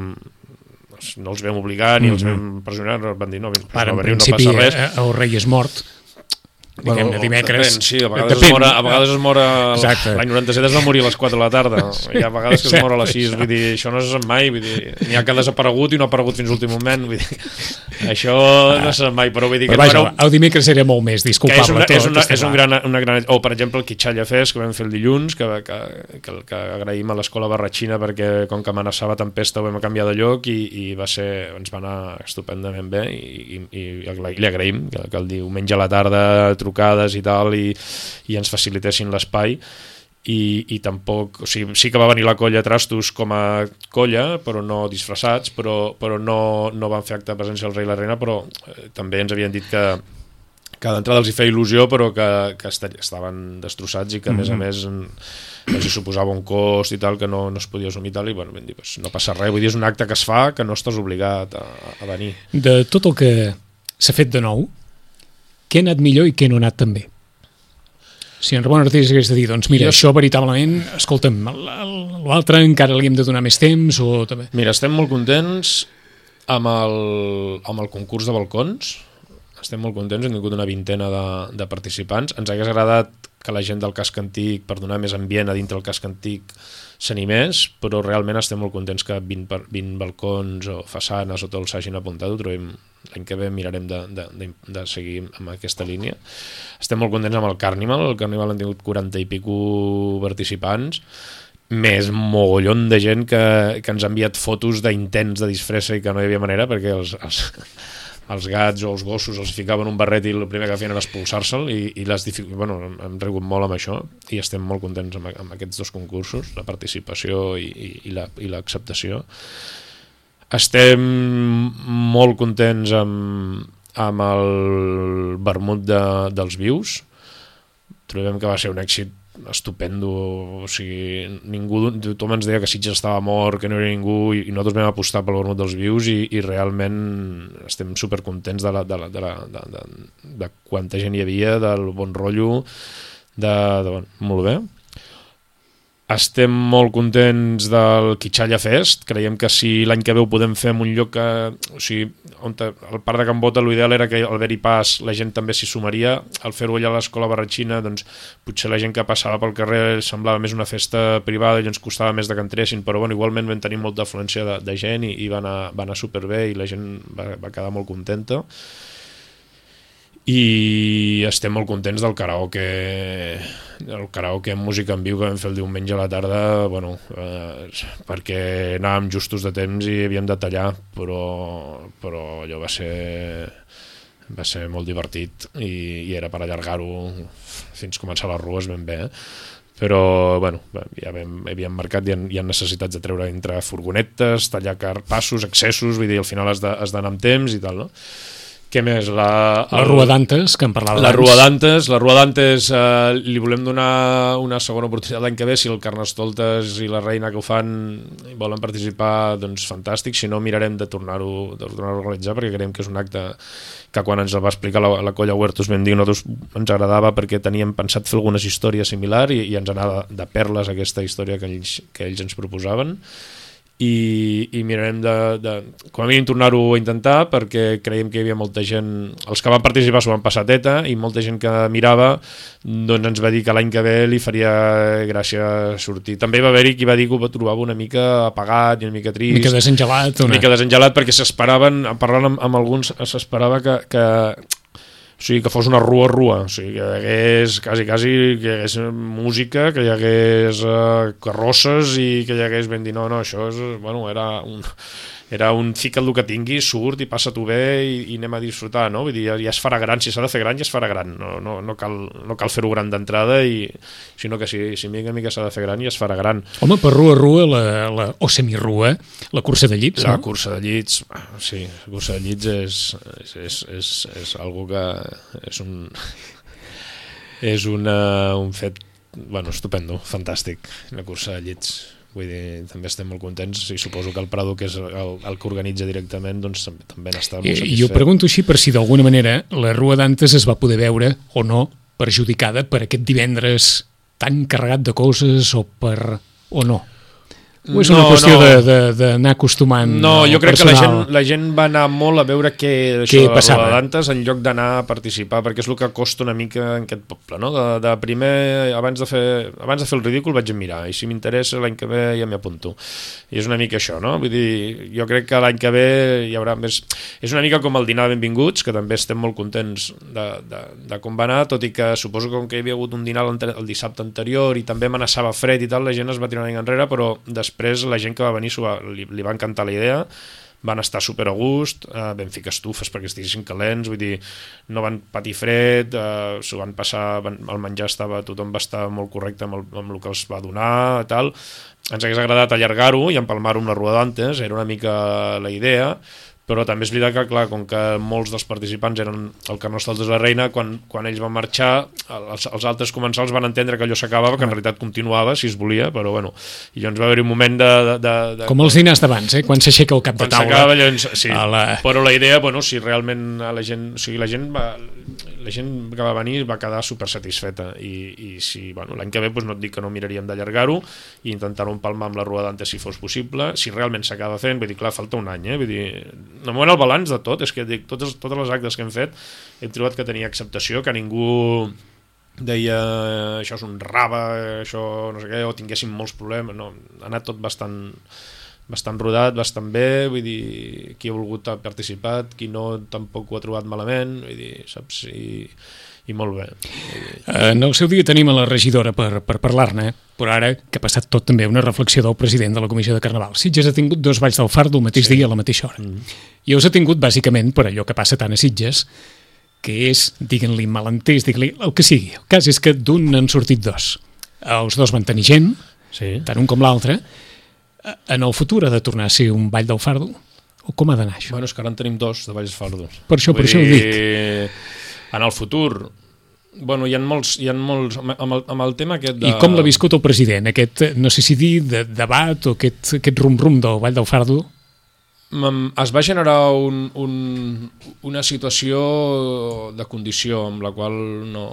no els vam obligar ni mm-hmm. els vam pressionar, van dir no, Ara, no, en veniu, principi, no passa res. El rei és mort, diguem, bueno, dimecres. Depèn, sí, a vegades depèn. es mora, a vegades es mora l'any noranta-set es va morir a les quatre de la tarda, hi ha vegades que es mora a les sis, vull dir, això no se sap mai, vull dir, n'hi ha que ha desaparegut i no ha aparegut fins l'últim moment, vull dir, això no se sap mai, però vull dir que... Però vaja, no, el dimecres era molt més disculpable. És, una, tot, és, una, és un gran, una gran... O, per exemple, el Quitxalla Fest, que vam fer el dilluns, que, que, que, que agraïm a l'escola Barratxina perquè com que amenaçava tempesta ho vam canviar de lloc i, i va ser, ens va anar estupendament bé i, i, i, i li agraïm que, que el diumenge a la tarda trucades i tal I, i ens facilitessin l'espai i, i tampoc, o sigui, sí que va venir la colla Trastos com a colla però no disfressats, però, però no, no van fer acte de presència al rei i la reina, però eh, també ens havien dit que, que d'entrada els hi feia il·lusió però que, que estaven destrossats i que a més a més els hi suposava un cost i tal que no, no es podia assumir tal, i bueno, vam dir, pues, no passa res, vull dir, és un acte que es fa que no estàs obligat a, a venir. De tot el que s'ha fet de nou, què ha anat millor i què no ha anat tan bé? Si en Ramon Artés hagués de dir, doncs mira, jo... això veritablement, escolta'm, l'altre encara li hem de donar més temps o també... Mira, estem molt contents amb el, amb el concurs de balcons, estem molt contents, hem tingut una vintena de, de participants, ens hagués agradat que la gent del casc antic, per donar més ambient a dintre del casc antic, s'animés, però realment estem molt contents que vint, vint balcons o façanes o tot s'hagin apuntat, ho trobem l'any que ve mirarem de, de, de, de seguir amb aquesta línia. Estem molt contents amb el Carnival, el Carnival han tingut quaranta i pico participants, més mogollon de gent que, que ens ha enviat fotos d'intents de disfressa i que no hi havia manera perquè els, els, els gats o els gossos els ficaven un barret i el primer que feien era expulsar-se'l i, i les dific... bueno, hem rigut molt amb això i estem molt contents amb, amb aquests dos concursos, la participació i, i, i, la, i l'acceptació. Estem molt contents amb, amb el vermut de, dels vius, trobem que va ser un èxit estupendo, o sigui, ningú, tothom ens deia que Sitges estava mort, que no era ningú, i, i nosaltres vam apostar pel vermut dels vius i, i realment estem supercontents de, la, de, la, de, la, de, de, de quanta gent hi havia, del bon rotllo, de, de, molt bé. Estem molt contents del Quitxalla Fest, creiem que si l'any que ve ho podem fer en un lloc que, o sigui, on el parc de Can Bota l'ideal era que al haver-hi pas la gent també s'hi sumaria, al fer-ho allà a l'escola Barratxina doncs potser la gent que passava pel carrer semblava més una festa privada i ens costava més de que entressin, però bueno, igualment vam tenir molta afluència de, de gent i, i va, anar, va anar superbé i la gent va, va quedar molt contenta. I estem molt contents del karaoke el karaoke amb música en viu que vam fer el diumenge a la tarda, bueno, eh, perquè anàvem justos de temps i havíem de tallar, però, però allò va ser va ser molt divertit i, i era per allargar-ho fins començar les rues ben bé, eh? Però bueno, ja vam, havíem marcat, hi ha, hi ha necessitats de treure entre furgonetes, tallar passos, accessos, vull dir, al final has d'anar amb temps i tal, no? Què més? La, el, la Rua d'Antes, que en parlava la Rua d'Antes, la Rua d'Antes eh, li volem donar una segona oportunitat l'any que ve, si el Carnestoltes i la Reina que ho fan volen participar, doncs fantàstic, si no mirarem de tornar-ho de tornar-ho a organitzar, perquè creiem que és un acte que quan ens el va explicar la, la colla Huertos vam dir, nosaltres ens agradava perquè teníem pensat fer algunes històries similars i, i ens anava de, de perles aquesta història que ells, que ells ens proposaven. I, i mirarem de, de com a mínim tornar-ho a intentar perquè creiem que hi havia molta gent, els que van participar s'ho van passar teta i molta gent que mirava doncs ens va dir que l'any que ve li faria gràcia sortir. També va haver-hi qui va dir que ho trobava una mica apagat i una mica trist, una mica desengelat, una mica desengelat perquè s'esperaven, parlant amb, amb alguns s'esperava que, que o sigui, que fos una rua rua, o sigui, que hi hagués quasi, quasi, que hi hagués música, que hi hagués uh, carrosses i que hi hagués ben dir, no, no, això és, bueno, era un, era un fica el que tingui, surt i passa-t'ho bé i, i anem a disfrutar, no? Vull dir, ja, ja es farà gran, si s'ha de fer gran, ja es farà gran, no, no, no cal, no cal fer-ho gran d'entrada, i, sinó que si, si mica mica s'ha de fer gran, ja es farà gran. Home, per rua rua, la, la, o semirrua, la cursa de llits, la no? La cursa de llits, sí, la cursa de llits és, és, és, és, és algo que és un és una, un fet, bueno, estupendo, fantàstic, la cursa de llits. Vull dir, també estem molt contents i suposo que el Prado, que és el, el que organitza directament, doncs també n'està molt satisfet. I jo pregunto així per si d'alguna manera la Rua d'Antes es va poder veure o no perjudicada per aquest divendres tan carregat de coses o per o no? O és una no, qüestió no. d'anar acostumant No, jo crec personal? que la gent, la gent va anar molt a veure què, què això, passava de Dantes en lloc d'anar a participar, perquè és el que costa una mica en aquest poble, no? De, de primer, abans de, fer, abans de fer el ridícul vaig a mirar, i si m'interessa l'any que ve ja m'hi apunto. I és una mica això, no? Vull dir, jo crec que l'any que ve hi haurà més... És una mica com el dinar de benvinguts, que també estem molt contents de, de, de com va anar, tot i que suposo que com que hi havia hagut un dinar el dissabte anterior i també amenaçava fred i tal, la gent es va tirar una mica enrere, però després la gent que va venir va, li, li va encantar la idea, van estar super a gust, eh, vam ficar estufes perquè estiguessin calents, vull dir, no van patir fred, eh, s'ho van passar, van, el menjar estava, tothom va estar molt correcte amb el, amb el que els va donar, tal. Ens hagués agradat allargar-ho i empalmar-ho amb la Rua d'Antes, era una mica la idea, però també és veritat que, clar, com que molts dels participants eren el Carnestoltes de la Reina, quan, quan ells van marxar, els, els altres comensals van entendre que allò s'acabava, que en realitat continuava, si es volia, però bueno, i llavors va haver-hi un moment de... de, de, de com els dinars d'abans, eh? Quan s'aixeca el cap de taula. Quan s'acaba, llavors, sí, la... però la idea, bueno, si realment la gent, o sigui, la gent va... la gent que va venir va quedar super satisfeta i, i si, bueno, l'any que ve doncs no et dic que no miraríem d'allargar-ho i intentar-ho empalmar amb la Rua d'Antes si fos possible, si realment s'acaba fent, vull dir, clar, falta un any, eh? Vull dir, de moment el balanç de tot, és que dic, totes, totes les actes que hem fet hem trobat que tenia acceptació, que ningú deia això és un rave, això no sé què, o tinguéssim molts problemes, no, ha anat tot bastant bastant rodat, bastant bé, vull dir, qui ha volgut ha participat, qui no tampoc ho ha trobat malament, vull dir, saps, i, i molt bé. En el seu dia tenim a la regidora per, per parlar-ne, però ara que ha passat tot també una reflexió del president de la Comissió de Carnaval. Sitges ha tingut dos balls del Fardo el mateix sí. dia a la mateixa hora. Mm. I els ha tingut bàsicament per allò que passa tant a Sitges, que és, diguin-li malentès, diguin-li el que sigui. El cas és que d'un n'han sortit dos. Els dos van tenir gent, sí. tant un com l'altre. En el futur ha de tornar a ser un ball del Fardo? O com ha d'anar això? Bueno, és que ara en tenim dos de balls del Fardo. Per això, Vull per dir, això ho dic. En el futur, bueno, hi ha molts, hi ha molts amb, el, amb el tema aquest de... I com l'ha viscut el president? Aquest, no sé si dir, de, debat o aquest, aquest rum-rum del ball del Fardo? Es va generar un, un, una situació de condició amb la qual no,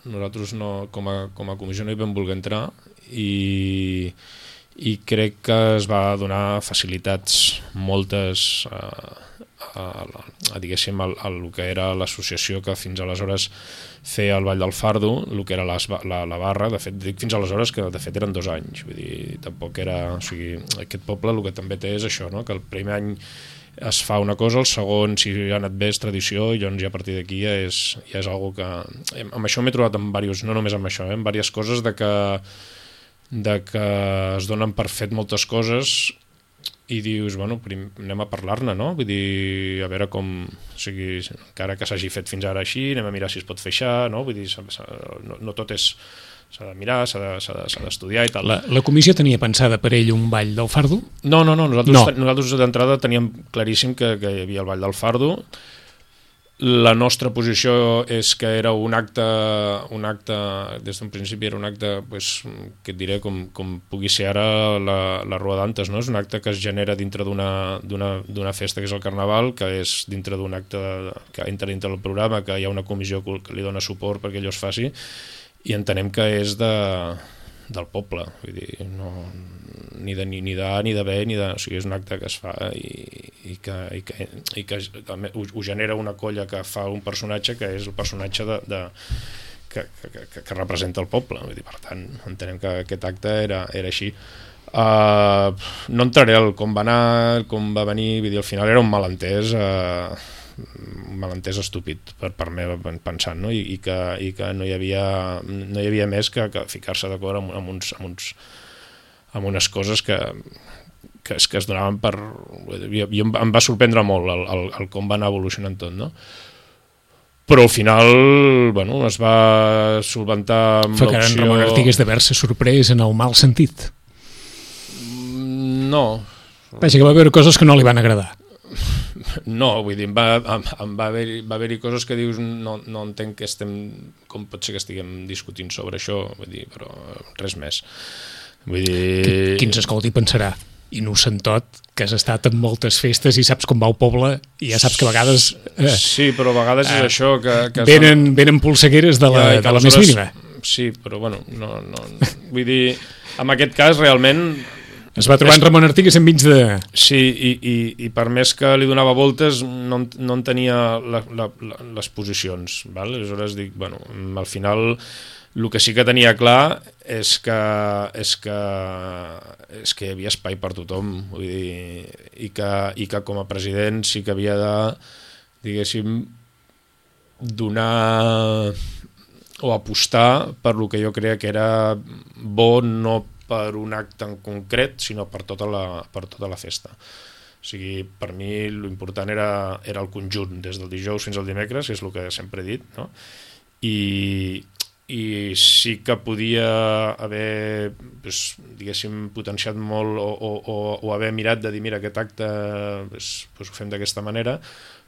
nosaltres no, com, a, com a comissió no hi vam voler entrar i... i crec que es va donar facilitats moltes a, a, a, a diguéssim a, a el que era l'associació que fins aleshores feia el Ball del Fardo, el que era la, la, la barra, de fet dic fins aleshores que de fet eren dos anys, vull dir, tampoc era, o sigui, aquest poble el que també té és això, no? Que el primer any es fa una cosa, el segon si ha anat bé és tradició i llavors ja a partir d'aquí ja és, ja és algo que, amb això m'he trobat amb diversos, no només amb això, eh, amb diverses coses de que de que es donen per fet moltes coses i dius, bueno, prim, anem a parlar-ne, no? Vull dir, a veure com... O sigui, encara que s'hagi fet fins ara així, anem a mirar si es pot fer això, no? Vull dir, no, no tot és... S'ha de mirar, s'ha de, s'ha de, s'ha d'estudiar i tal. La, la comissió tenia pensada per ell un ball del Fardo? No, no, no. Nosaltres, no. nosaltres d'entrada teníem claríssim que, que hi havia el ball del Fardo. La nostra posició és que era un acte, un acte des d'un principi era un acte, pues, que et diré, com, com pugui ser ara la, la Rua d'Antes, no? És un acte que es genera dintre d'una, d'una, d'una festa que és el Carnaval, que és dintre d'un acte que entra dintre del programa, que hi ha una comissió que li dona suport perquè allò es faci, i entenem que és de, del poble, vull dir, no, ni de ni, ni de A ni de B, ni de, o sigui, és un acte que es fa i, i que, i que, i que ho, ho genera una colla que fa un personatge que és el personatge de, de, que, que, que, que representa el poble, vull dir, per tant, entenem que aquest acte era, era així. Uh, no entraré al com va anar, com va venir, vull dir, al final era un malentès, uh, un malentès estúpid per part meva pensant, no? I, i, que, i que no hi havia, no hi havia més que, que ficar-se d'acord amb, amb, uns, amb, uns, amb unes coses que, que, es, que es donaven per... I, i em va sorprendre molt el, el, el com va anar evolucionant tot, no? Però al final, bueno, es va solventar amb l'opció... Fa que en Ramon Artigues d'haver-se sorprès en el mal sentit. No. Vaja, que va haver coses que no li van agradar. No, vull dir, em va, em, em va haver-hi va haver coses que dius no, no entenc que estem, com pot ser que estiguem discutint sobre això, vull dir, però res més. Vull dir... Qui ens escolti pensarà, innocentot, que has estat en moltes festes i saps com va el poble i ja saps que a vegades... Eh, sí, però a vegades eh, és això que... que venen, venen polsegueres de la, ja, de la més mínima. Sí, però bueno, no, no, vull dir... en aquest cas, realment... Es va trobar en Ramon Artigas enmig de... Sí, i, i, i per més que li donava voltes, no, no en tenia la, la, la, les posicions. Val? Aleshores dic, bueno, al final el que sí que tenia clar és que, és que, és que hi havia espai per tothom. Vull dir, i, que, i que com a president sí que havia de, diguéssim, donar o apostar per lo que jo creia que era bo, no per un acte en concret, sinó per tota la, per tota la festa. O sigui, per mi l'important era, era el conjunt, des del dijous fins al dimecres, que és el que sempre he dit, no? I, i sí que podia haver, doncs, diguéssim, potenciat molt o, o, o, o haver mirat de dir, mira, aquest acte doncs, doncs ho fem d'aquesta manera,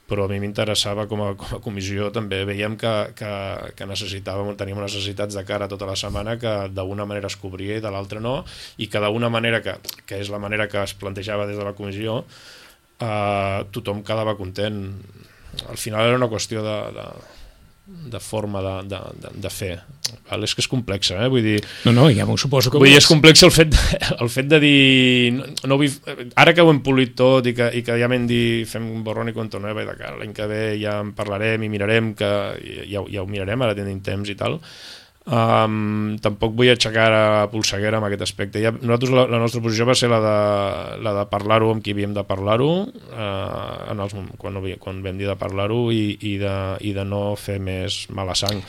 però a mi m'interessava com a, com a comissió, també veiem que, que, que necessitàvem, teníem necessitats de cara tota la setmana que d'una manera es cobria i de l'altra no, i que d'una manera, que, que és la manera que es plantejava des de la comissió, eh, tothom quedava content. Al final era una qüestió de, de, de forma de, de, de, de fer. Val? És que és complexa, eh? Vull dir... No, no, ja m'ho suposo que... Vull dir, és complex el fet, el fet de dir... No, no vull, ara que ho hem polit tot i que, i que ja m'hem dit fem un borrón i cuenta nueva i de cara l'any que ve ja en parlarem i mirarem, que ja, ja ho mirarem, ara tenim temps i tal, um, tampoc vull aixecar a polseguera en aquest aspecte. Ja, nosaltres la, la nostra posició va ser la de, la de parlar-ho amb qui havíem de parlar-ho, uh, en els, quan, quan vam dir de parlar-ho i, i, de, i de no fer més mala sang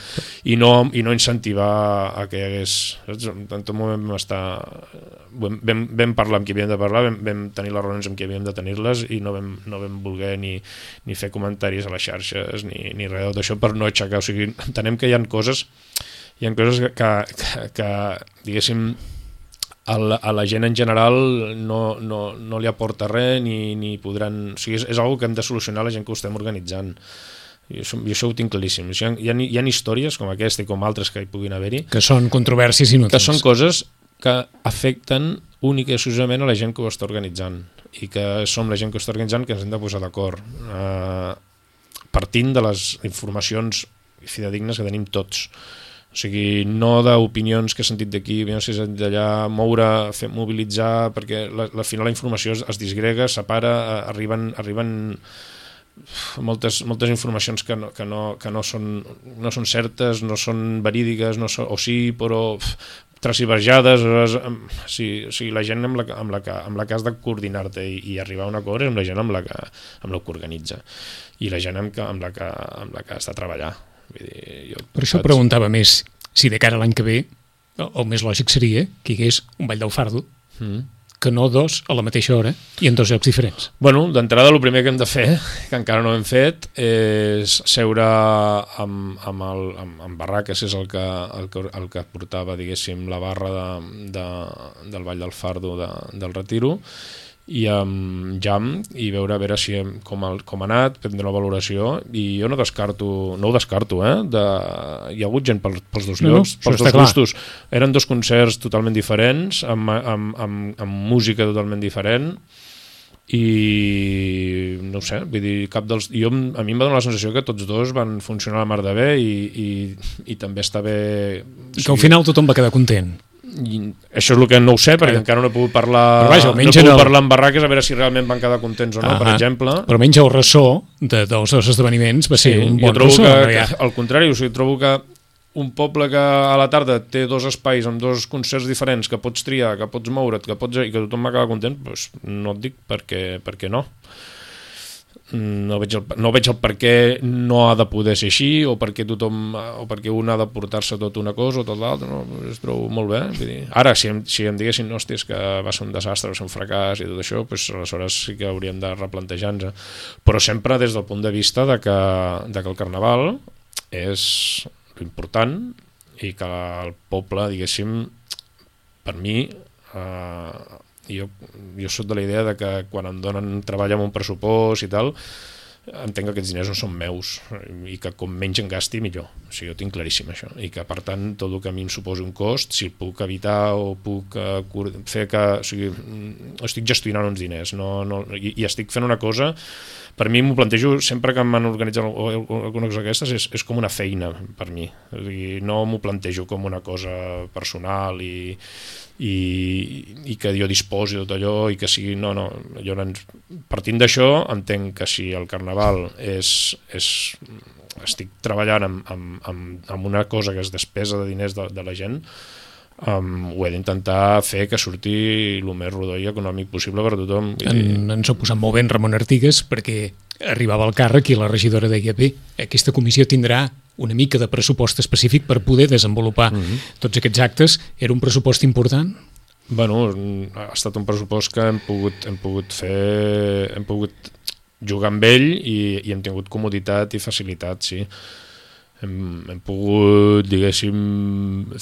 i no, i no incentivar a que hi hagués... En tot moment vam estar... Vam, vam parlar amb qui havíem de parlar, vam, vam tenir les reunions amb qui havíem de tenir-les i no vam, no vam voler ni, ni fer comentaris a les xarxes ni, ni res d'això per no aixecar. O sigui, entenem que hi ha coses hi ha coses que, que, que diguéssim, a la, a la gent en general no, no, no li aporta res ni, ni podran... O sigui, és, és una que hem de solucionar la gent que ho estem organitzant. I això, i això ho tinc claríssim. Hi ha, hi, ha, hi ha històries com aquesta i com altres que hi puguin haver-hi que són controvèrsies inútils. Que són coses que afecten única i exclusivament a la gent que ho està organitzant i que som la gent que ho està organitzant que ens hem de posar d'acord, eh, partint de les informacions fidedignes que tenim tots. O sigui, no d'opinions que he sentit d'aquí, opinions que he sentit d'allà, moure, fer, mobilitzar, perquè la, al final la informació es, es disgrega, separa, arriben, arriben moltes, moltes informacions que no, que no, que no, són, no són certes, no són verídiques, no són, o sí, però transciberjades. Sí, o sigui, la gent amb la, amb la, que, amb la que has de coordinar-te i, i arribar a un acord és amb la gent amb la que, amb la que organitza i la gent amb, que, amb, la que, amb la que has de treballar. Vull dir, jo, per això saps? Preguntava més si de cara a l'any que ve el, el més lògic seria que hi hagués un ball del fardo mm. que no dos a la mateixa hora i en dos llocs diferents. Bueno, d'entrada el primer que hem de fer, que encara no hem fet, és seure amb, amb, el, amb, amb Barraques, que és el que, el, que, el que portava, diguéssim, la barra de, de, del Ball del Fardo de, del Retiro, i amb Jam, i veure a veure si hem, com, el, com ha anat, prendre una valoració, i jo no descarto, no ho descarto, eh? De, hi ha hagut gent pels, pels dos no, llocs, no, pels dos gustos. Eren dos concerts totalment diferents, amb, amb, amb, amb música totalment diferent, i no ho sé, vull dir, cap dels... Jo, a mi em va donar la sensació que tots dos van funcionar a la mar de bé i, i, i també està bé... I que al final tothom va quedar content. I això és el que no ho sé, perquè encara no he pogut parlar, vaja, no he pogut el... parlar amb Barraques a veure si realment van quedar contents o no, uh-huh. per exemple. Però menys el ressò de, dels dos esdeveniments va ser sí, un bon ressò. Que, que, que, al contrari, o sigui, trobo que un poble que a la tarda té dos espais amb dos concerts diferents, que pots triar, que pots moure't, que pots, i que tothom va quedar content, doncs no et dic perquè, perquè no. No veig, el, no veig el per què no ha de poder ser així o perquè tothom o perquè un ha de portar-se tot una cosa o tot l'altre, no? Es trobo molt bé. Vull dir, ara si em, si em diguessin hòstia, és que va ser un desastre, va ser un fracàs i tot això, doncs aleshores sí que hauríem de replantejar-nos, però sempre des del punt de vista de que, de que el Carnaval és important i que el poble, diguéssim, per mi eh, Jo, jo soc de la idea de que quan em donen treball amb un pressupost i tal, entenc que aquests diners no són meus i que com menys en gasti millor. O sigui, jo tinc claríssim això, i que per tant tot el que a mi em suposi un cost, si puc evitar o puc uh, fer que, o sigui, estic gestionant uns diners no, no, i, i estic fent una cosa, per mi m'ho plantejo sempre que m'han organitzat alguna cosa d'aquestes, és, és com una feina per mi, o sigui, no m'ho plantejo com una cosa personal i i, i que jo disposi de tot allò i que sigui, no, no, llavors partint d'això entenc que si el carnaval és, és estic treballant amb, amb, amb, amb una cosa que és despesa de diners de, de la gent, Um, ho he d'intentar fer que surti el més rodó i econòmic possible per a tothom. En, ens ho posat molt bé en Ramon Artigas, perquè arribava al càrrec i la regidora deia, bé, aquesta comissió tindrà una mica de pressupost específic per poder desenvolupar mm-hmm. tots aquests actes. Era un pressupost important? Bueno, ha estat un pressupost que hem pogut, hem pogut fer, hem pogut jugar amb ell i, i hem tingut comoditat i facilitat, sí. Hem, hem pogut, diguéssim,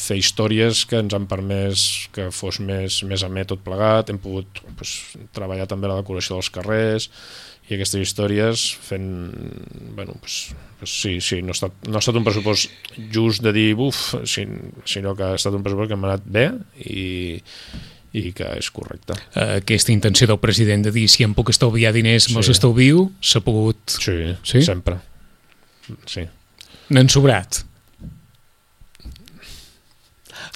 fer històries que ens han permès que fos més, més amè tot plegat, hem pogut pues, treballar també la decoració dels carrers i aquestes històries fent, bueno, pues, pues sí, sí, no ha, estat, no ha estat un pressupost just de dir buf, sinó que ha estat un pressupost que m'ha anat bé i, i que és correcte. Aquesta intenció del president de dir si em puc estalviar diners, me'ls sí. estalvio, s'ha pogut... Sí, sí, sempre. Sí. N'han sobrat?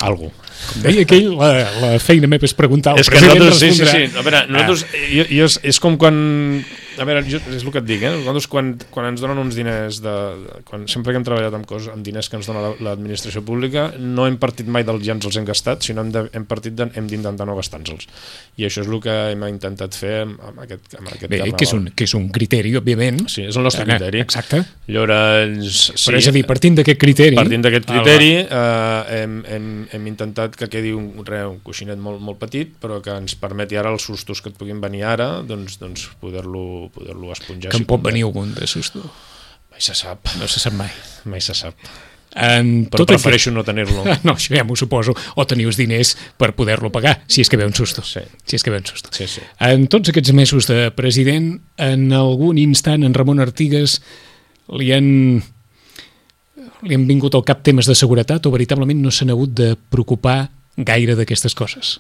Algo. Com deia aquell, la, la feina meva és preguntar al és president nosaltres, respondrà. Sí, sí, sí. A veure, nosaltres, ah. jo, jo, és com quan... A veure, jo, és el que et dic, eh? Nosaltres quan, quan ens donen uns diners, de, de, quan, sempre que hem treballat amb, coses, amb diners que ens dona l'administració pública, no hem partit mai del ja ens els hem gastat, sinó hem, de, hem partit de, hem d'intentar no gastar-nos-els. I això és el que hem intentat fer amb, amb aquest, amb aquest Bé, carnaval. Que és, un, que és un criteri, òbviament. Sí, és el nostre criteri. Exacte. Llavors, sí, però és a dir, partint d'aquest criteri... Partint d'aquest criteri, eh, hem, hem, hem intentat que quedi un, re, un coixinet molt, molt petit, però que ens permeti ara els sustos que et puguin venir ara, doncs, doncs poder-lo poder-lo esponjar. Que em pot venir algun de susto? Mai se sap. No se sap mai. Mai se sap. En però tot prefereixo aquest... no tenir-lo. No, això ja m'ho suposo. O tenir els diners per poder-lo pagar, si és que ve un susto. Sí. Si és que ve un susto. Sí, sí. En tots aquests mesos de president, en algun instant en Ramon Artigas li han, li han vingut al cap temes de seguretat o veritablement no s'han hagut de preocupar gaire d'aquestes coses?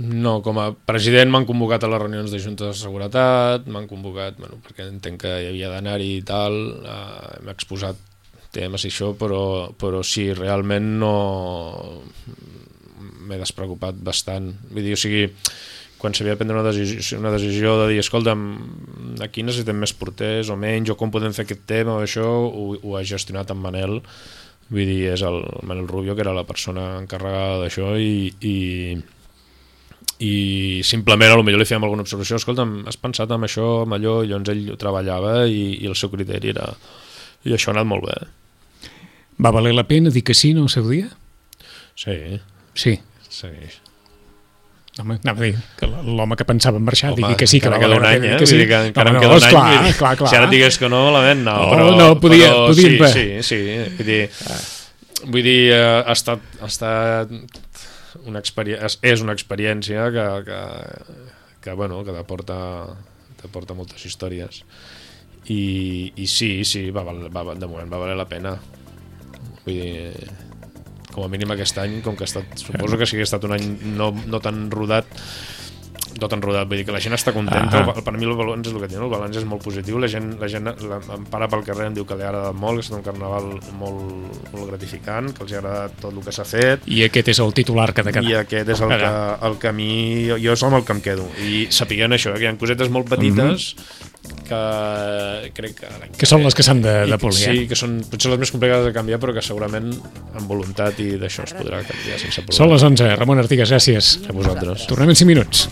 No, com a president m'han convocat a les reunions de Junta de Seguretat, m'han convocat, bueno, perquè entenc que hi havia d'anar-hi i tal, eh, hem exposat temes i això, però, però sí, realment no m'he despreocupat bastant. Vull dir, o sigui, quan s'havia de prendre una decisió, una decisió de dir, escolta'm, aquí necessitem més porters o menys, o com podem fer aquest tema o això, ho, ho ha gestionat en Manel, vull dir, és el Manel Rubio, que era la persona encarregada d'això, i... i i simplement potser li fèiem alguna observació, escolta'm, has pensat en això, en allò, i llavors ell ho treballava i, i el seu criteri era... I això ha anat molt bé. Va valer la pena dir que sí, no, el seu dia? Sí. Sí? Sí. Home, anava a dir que l'home que pensava en marxar Home, digui que sí, que va valer la pena. Eh? Que sí. Vull dir que encara em queda un any. Clar, clar, clar. Si ara digués que no, la ment no. Oh, però, no, podia, però podia sí, sí, sí. Vull dir, ah. vull dir ha estat... Ha estat una experiència, és una experiència que, que, que, bueno, que t'aporta t'aporta moltes històries i, i sí, sí va, va, de moment va valer la pena. Vull dir, com a mínim aquest any, com que ha estat, suposo que si hagués estat un any no, no tan rodat no tan rodat, vull dir que la gent està contenta. Ah, per mi el balanç és el que té, el balanç és molt positiu, la gent, la gent la, em para pel carrer, em diu que li ha agradat molt, que ha estat un carnaval molt, molt gratificant, que els ha agradat tot el que s'ha fet. I aquest és el titular que ha de quedar. I aquest és el que, el que a mi, jo, jo és amb el que em quedo. I sapiguent això, que hi ha cosetes molt petites mm-hmm. que crec que... Que són les que s'han de, de polir. Sí, que són potser les més complicades de canviar, però que segurament amb voluntat i d'això es podrà canviar sense problema. Són les onze. Ramon Artigas, gràcies. A vosaltres. Tornem en cinc minuts.